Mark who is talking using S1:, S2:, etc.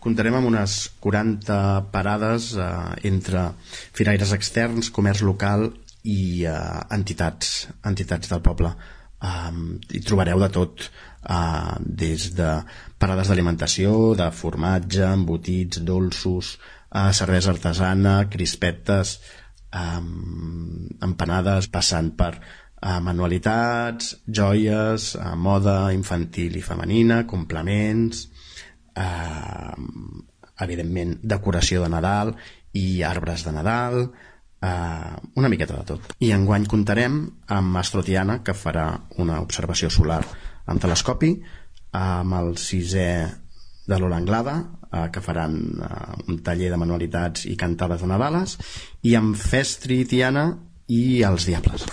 S1: comptarem amb unes 40 parades entre firaires externs, comerç local i entitats del poble. Hi trobareu de tot, des de parades d'alimentació, de formatge, embotits, dolços, cervesa artesana, crispetes, empanades, passant per manualitats, joies, moda infantil i femenina, complements, evidentment decoració de Nadal i arbres de Nadal, una miqueta de tot. I enguany comptarem amb Astrotiana, que farà una observació solar amb telescopi, amb el 6è de l'Ola Anglada, que faran un taller de manualitats i cantades de Nadales, i amb Festri Tiana i els Diables.